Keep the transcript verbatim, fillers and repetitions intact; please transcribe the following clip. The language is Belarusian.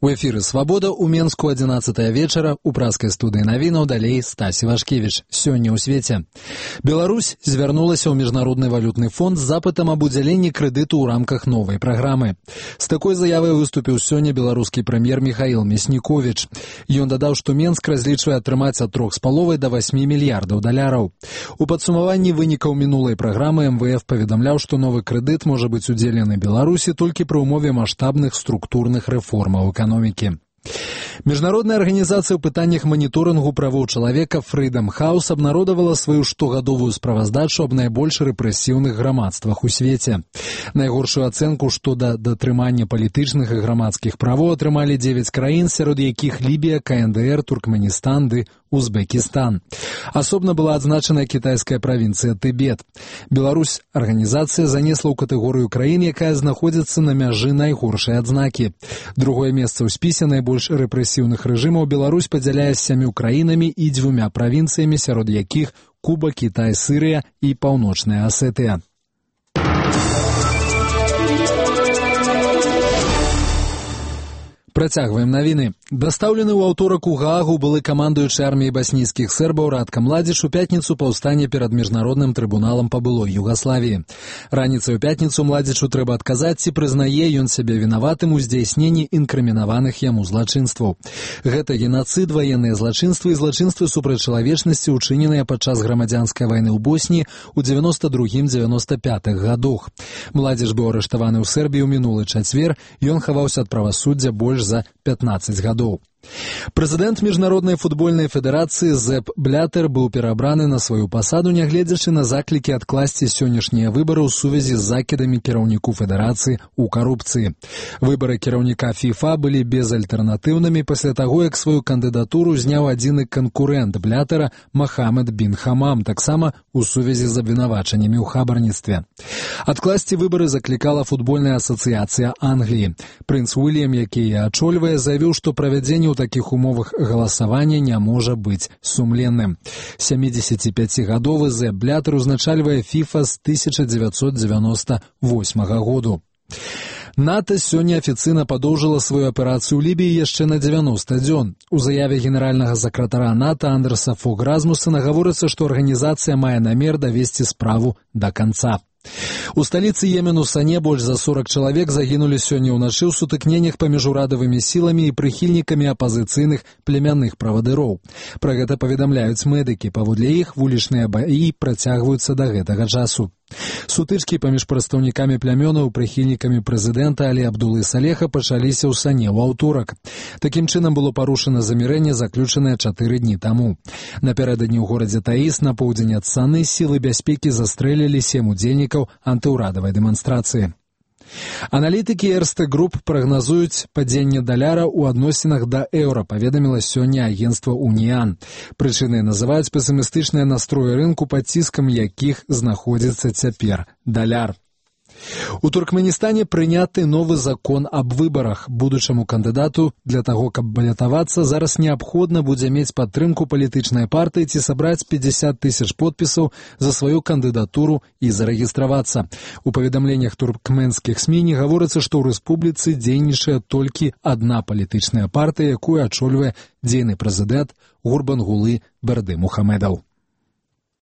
У эфіры «Свабода» ў Менску адзінаццатая вечара, у праскай студыі навінаў далей Стась Івашкевіч. Сёння ў свеце. Беларусь звярнулася ў Міжнародны валютны фонд з запытам аб удзяленні крэдыту ў рамках новай праграмы. З такой заявай выступіў сёння беларускі прэм'ер Міхаіл Мясніковіч. Ён дадаў, што Менск разлічвае атрымаць ад трох з паловай да васьмі мільярдаў даляраў. У падсумаванні вынікаў мінулай праграмы эм вэ эф паведамляў, што новы крэдыт можа быць удзелены Беларусі толькі пры ўмове маштабных структурных рэформаў эканомікі. Міжнародная арганізацыя ў пытаннях маніторынгу правоў чалавека Freedom House абнародавала сваю штогадовую справаздачу аб найбольш рэпрэсіўных грамадствах у свеце. Найгоршую ацэнку што да датрымання палітычных і грамадскіх правоў атрымалі дзевяць краін, сярод якіх Лібія, ка эн дэ эр, Туркменістан ды Узбекістан. Асобна была адзначана кітайская правінцыя Тыбет. Беларусь арганізацыя занесла ў катэгорыю краін, якая знаходзіцца на мяжы найгоршай адзнакі. Другое месца ў спісе найбольш рэпрэсіўных рэжымаў Беларусь падзяляе з сямю краінамі і дзвюмя правінцыямі, сярод якіх Куба, Кітай, Сырыя і Паўночная Асетыя. Працягваем навіны. Дастаўлены ў аўторак у Гаагу былы камандуючы арміяй баснійскіх сербаў Радка Младзіч у пятніцу паўстане перад міжнародным трыбуналам па былой Югаславіі. Раніцай у пятніцу Младзічу трэба адказаць, ці прызнае ён сябе вінаватым у здзяйсненні інкрымінаваных яму злачынстваў. Гэта генацыд, ваенныя злачынствы і злачынствы супраць чалавечнасці, учыненыя падчас грамадзянскай вайны ў Босніі ў дзевяноста другім — дзевяноста пятым гадах. Младзіч быў арыштаваны ў Сербіі ў мінулы чацвер, ён хаваўся ад правасуддзя больш за пятнаццаць гадоў. Прэзідэнт Міжнароднай футбольнай федэрацыі Зеп Блятэр быў перабраны на сваю пасаду, нягледзячы на заклікі адкласці сённяшнія выбары ў сувязі з закідамі кіраўніку федэрацыі ў карупцыі. Выбары кіраўніка фіфа былі безальтэрнатыўнымі пасля таго, як сваю кандыдатуру зняў адзіны канкурэнт Блятэра Махамед бін Хамам, таксама ў сувязі з абвінавачаннямі ў хабарніцтве. Адкласці выбары заклікала футбольная асацыяцыя Англіі. Прынц Уільям, які яе ачольвае, заявіў, што правядзенне ў такіх умовах галасавання не можа быць сумленным. сямідзесяціпяцігадовы Зеп Блятэр узначальвае фіфа з тысяча дзевяцьсот дзевяноста восьмага году. НАТО сёння афіцыйна падоўжыла сваю аперацыю ў Лібіі яшчэ на дзевяноста дзён. У заяве генеральнага сакратара НАТО Андерса Фог Размусена гаворыцца, што арганізацыя мае намер давесці справу да канца. У сталіцы Йемену Сане больш за сорак чалавек загінулі сёння ўначы ў сутыкненнях паміж урадавымі сіламі і прыхільнікамі апазіцыйных племянных правадыроў. Пра гэта паведамляюць медыкі. Паводле іх вулічныя баі працягваюцца да гэтага часу. Сутычкі паміж прадстаўнікамі плямёнаў і прыхільнікамі прэзідэнта Алі Абдулы Салеха пачаліся ў Сане ў аўторак. Такім чынам было парушана замірэнне, заключанае чатыры дні таму. Напярэдадні ў горадзе Таіс на поўдзень ад Саны сілы бяспекі застрэлілі сем удзельнікаў антыўрадавай дэманстрацыі. Аналітыкі Эрстэ Груп прагназуюць падзенне даляра ў адносінах да еўра, паведаміла сёння агенцтва Уніан. Прычынай называюць песімістычныя настроі рынку, пад ціскам якіх знаходзіцца цяпер даляр. У Туркменістане прыняты новы закон аб выбарах. Будучаму кандыдату для таго, каб балятавацца, зараз неабходна будзе мець падтрымку палітычнай партыі ці сабраць пятьдесят тысяч подпісаў за сваю кандыдатуру і зарэгістравацца. У паведамленнях туркменскіх СМІ не гаворыцца, што ў рэспубліцы дзейнічае толькі адна палітычная партыя, якую ачольвае дзейны прэзідэнт Гурбангулы Бердымухамедаў.